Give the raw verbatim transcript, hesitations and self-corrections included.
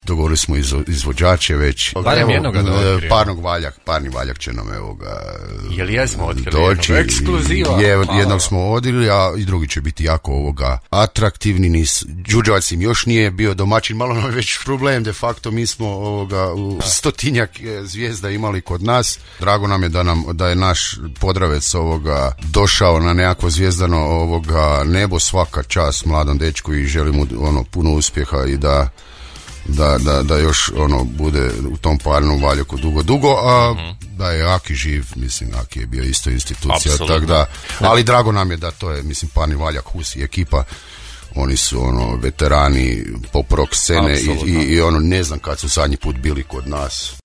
dogovorili smo izvo, izvođače već. Barem jednoga da otkrijemo. Parnog valjak, parni valjak će nam evo ga Jel jesmo otkrili doći. jednog? Ekskluziva. Je, jednog smo odili, a i drugi će biti jako ovoga atraktivni. Nis, Đurđevac im još nije bio domaćin, malo nam je već problem, de facto mi smo ovoga u stotinjak zvijezda imali kod nas. Drago nam je da nam da je naš Podravec ovoga došao na nekakvo zvijezdano ovoga nebo, svaka čast mladom dečku i želim mu ono puno uspjeha i da Da, da, da još ono bude u tom parnom valjaku dugo, dugo, a mm-hmm. da je Aki živ, mislim Aki je bio isto institucija, tak da, ali drago nam je da to je, mislim, parni valjak, Hus i ekipa, oni su ono veterani pop rock scene i, i, i ono ne znam kad su zadnji put bili kod nas.